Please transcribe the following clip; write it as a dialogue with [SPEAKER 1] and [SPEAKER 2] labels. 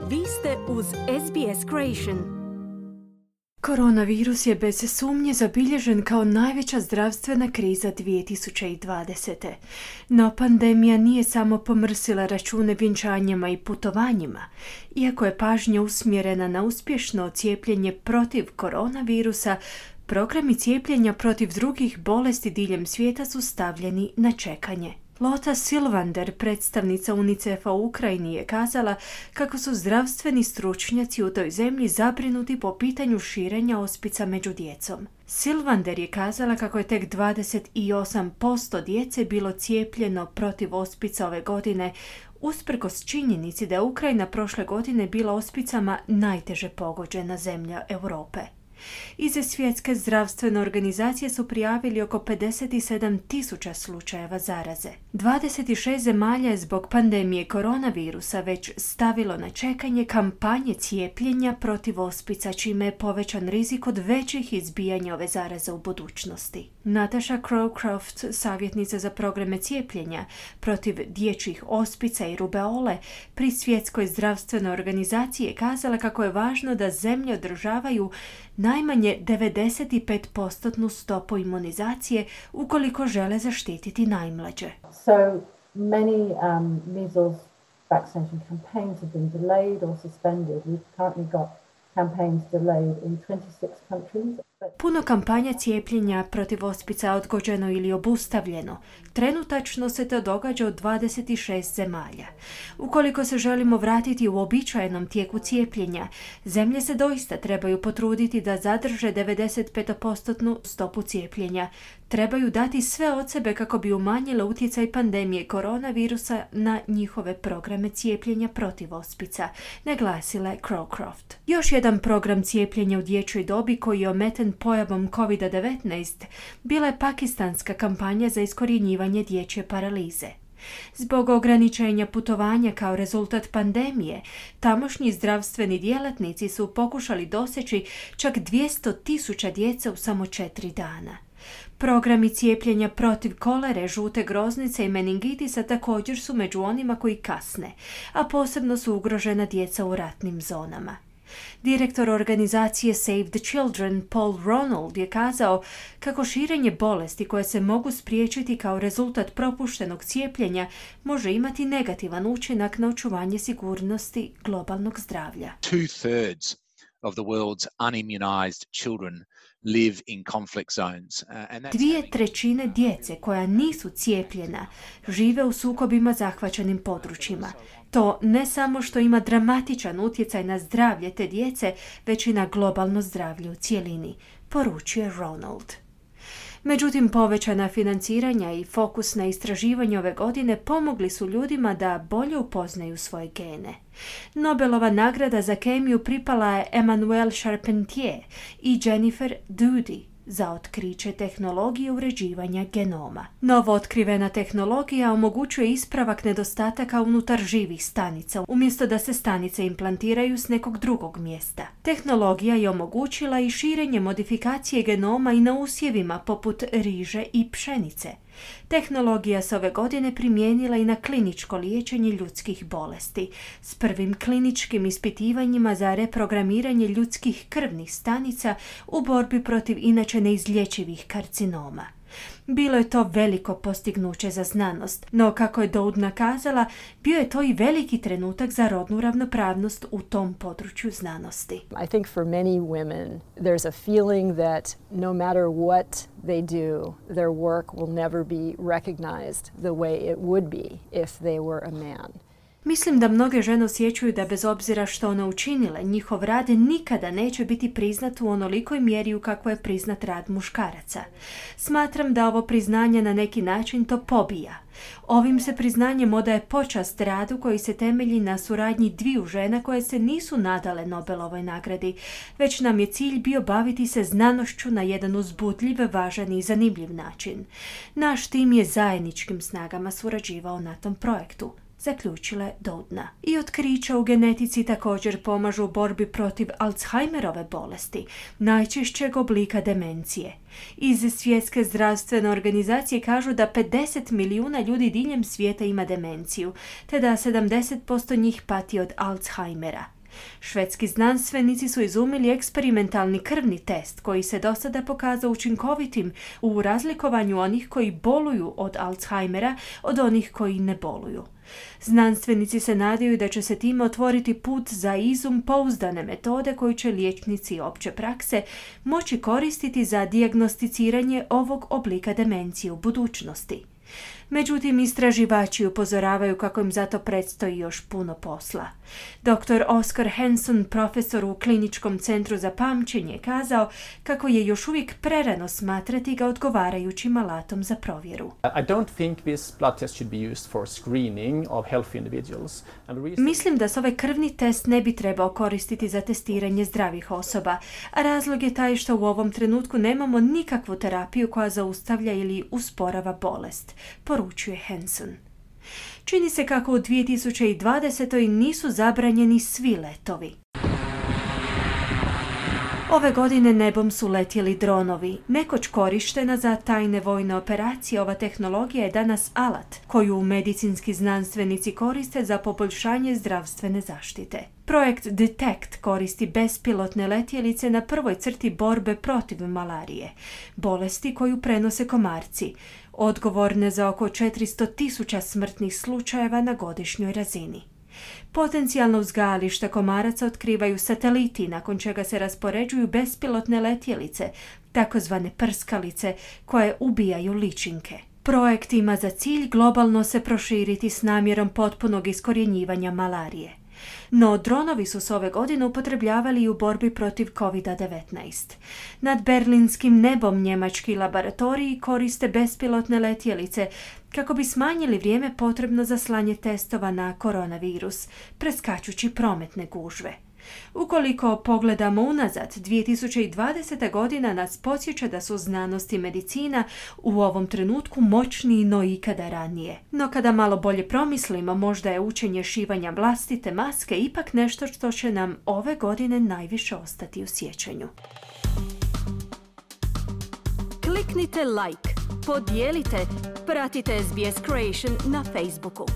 [SPEAKER 1] Vi ste uz SBS Creation.
[SPEAKER 2] Koronavirus je bez sumnje zabilježen kao najveća zdravstvena kriza 2020. No pandemija nije samo pomrsila račune vjenčanjima i putovanjima. Iako je pažnja usmjerena na uspješno cijepljenje protiv koronavirusa, programi cijepljenja protiv drugih bolesti diljem svijeta su stavljeni na čekanje. Lotta Silvander, predstavnica UNICEF-a u Ukrajini, je kazala kako su zdravstveni stručnjaci u toj zemlji zabrinuti po pitanju širenja ospica među djecom. Silvander je kazala kako je tek 28% djece bilo cijepljeno protiv ospica ove godine, usprkos činjenici da je Ukrajina prošle godine bila ospicama najteže pogođena zemlja Europe. Iz Svjetske zdravstvene organizacije su prijavili oko 57.000 slučajeva zaraze. 26 zemalja je zbog pandemije koronavirusa već stavilo na čekanje kampanje cijepljenja protiv ospica, čime je povećan rizik od većih izbijanja ove zaraze u budućnosti. Natasha Crowcroft, savjetnica za programe cijepljenja protiv dječjih ospica i rubeole pri Svjetskoj zdravstvenoj organizaciji, je kazala kako je važno da zemlje održavaju najmanje 95% stopu imunizacije ukoliko žele zaštititi najmlađe.
[SPEAKER 3] So many measles vaccination campaigns have been delayed or suspended. We've currently got campaigns delayed in 26 countries.
[SPEAKER 2] Puno kampanja cijepljenja protiv ospica je odgođeno ili obustavljeno. Trenutačno se to događa u 26 zemalja. Ukoliko se želimo vratiti u uobičajenom tijeku cijepljenja, zemlje se doista trebaju potruditi da zadrže 95% stopu cijepljenja. Trebaju dati sve od sebe kako bi umanjile utjecaj pandemije koronavirusa na njihove programe cijepljenja protiv ospica, naglasila je Crowcroft. Još jedan program cijepljenja u dječjoj dobi koji je ometen pojavom COVID-19 bila je pakistanska kampanja za iskorjenjivanje dječje paralize. Zbog ograničenja putovanja kao rezultat pandemije, tamošnji zdravstveni djelatnici su pokušali doseći čak 200.000 djece u samo 4 dana. Programi cijepljenja protiv kolere, žute groznice i meningitisa također su među onima koji kasne, a posebno su ugrožena djeca u ratnim zonama. Direktor organizacije Save the Children, Paul Ronald, je kazao kako širenje bolesti koje se mogu spriječiti kao rezultat propuštenog cijepljenja može imati negativan učinak na očuvanje sigurnosti globalnog zdravlja.
[SPEAKER 4] 2/3 of the world's unimmunized children live in conflict zones.
[SPEAKER 2] 2/3 djece koja nisu cijepljena žive u sukobima zahvaćenim područjima. To ne samo što ima dramatičan utjecaj na zdravlje te djece, već i na globalno zdravlje u cjelini, poručuje Ronald. Međutim, povećana financiranja i fokus na istraživanje ove godine pomogli su ljudima da bolje upoznaju svoje gene. Nobelova nagrada za kemiju pripala je Emmanuelle Charpentier i Jennifer Doudie za otkriće tehnologije uređivanja genoma. Novo otkrivena tehnologija omogućuje ispravak nedostataka unutar živih stanica, umjesto da se stanice implantiraju s nekog drugog mjesta. Tehnologija je omogućila i širenje modifikacije genoma i na usjevima poput riže i pšenice. Tehnologija se ove godine primijenila i na kliničko liječenje ljudskih bolesti, s prvim kliničkim ispitivanjima za reprogramiranje ljudskih krvnih stanica u borbi protiv inače neizlječivih karcinoma. Bilo je to veliko postignuće za znanost, no kako je Doudna kazala, bio je to i veliki trenutak za rodnu ravnopravnost u tom području znanosti.
[SPEAKER 5] I think for many women there's a feeling that no matter what they do, their work will never be recognized the way it would be if they were a man.
[SPEAKER 2] Mislim da mnoge žene osjećaju da bez obzira što one učinile, njihov rad nikada neće biti priznat u onolikoj mjeri u kakvo je priznat rad muškaraca. Smatram da ovo priznanje na neki način to pobija. Ovim se priznanjem odaje počast radu koji se temelji na suradnji dviju žena koje se nisu nadale Nobelovoj nagradi, već nam je cilj bio baviti se znanošću na jedan uzbudljiv, važan i zanimljiv način. Naš tim je zajedničkim snagama surađivao na tom projektu, zaključila je Doudna. I otkrića u genetici također pomažu u borbi protiv Alzheimerove bolesti, najčešćeg oblika demencije. Iz Svjetske zdravstvene organizacije kažu da 50 milijuna ljudi diljem svijeta ima demenciju, te da 70% njih pati od Alzheimera. Švedski znanstvenici su izumili eksperimentalni krvni test koji se do sada pokazao učinkovitim u razlikovanju onih koji boluju od Alzheimera od onih koji ne boluju. Znanstvenici se nadaju da će se time otvoriti put za izum pouzdane metode koju će liječnici opće prakse moći koristiti za dijagnosticiranje ovog oblika demencije u budućnosti. Međutim, istraživači upozoravaju kako im zato predstoji još puno posla. Dr. Oskar Henson, profesor u Kliničkom centru za pamćenje, kazao kako je još uvijek prerano smatrati ga odgovarajućim alatom za provjeru. Mislim da se ovaj krvni test ne bi trebao koristiti za testiranje zdravih osoba, a razlog je taj što u ovom trenutku nemamo nikakvu terapiju koja zaustavlja ili usporava bolest, poručuje Henson. Čini se kako u 2020. nisu zabranjeni svi letovi. Ove godine nebom su letjeli dronovi. Nekoć korištena za tajne vojne operacije, ova tehnologija je danas alat koju medicinski znanstvenici koriste za poboljšanje zdravstvene zaštite. Projekt DETECT koristi bespilotne letjelice na prvoj crti borbe protiv malarije, bolesti koju prenose komarci, odgovorne za oko 400.000 smrtnih slučajeva na godišnjoj razini. Potencijalno uzgajališta komaraca otkrivaju sateliti, nakon čega se raspoređuju bespilotne letjelice, takozvane prskalice, koje ubijaju ličinke. Projekt ima za cilj globalno se proširiti s namjerom potpunog iskorjenjivanja malarije. No, dronovi su se ove godine upotrebljavali i u borbi protiv COVID-19. Nad berlinskim nebom njemački laboratoriji koriste bespilotne letjelice kako bi smanjili vrijeme potrebno za slanje testova na koronavirus, preskačući prometne gužve. Ukoliko pogledamo unazad, 2020. godina nas podsjeća da su znanost i medicina u ovom trenutku moćniji no ikada ranije. No kada malo bolje promislimo, možda je učenje šivanja vlastite maske ipak nešto što će nam ove godine najviše ostati u sjećanju.
[SPEAKER 1] Kliknite like, podijelite, pratite SBS Creation na Facebooku.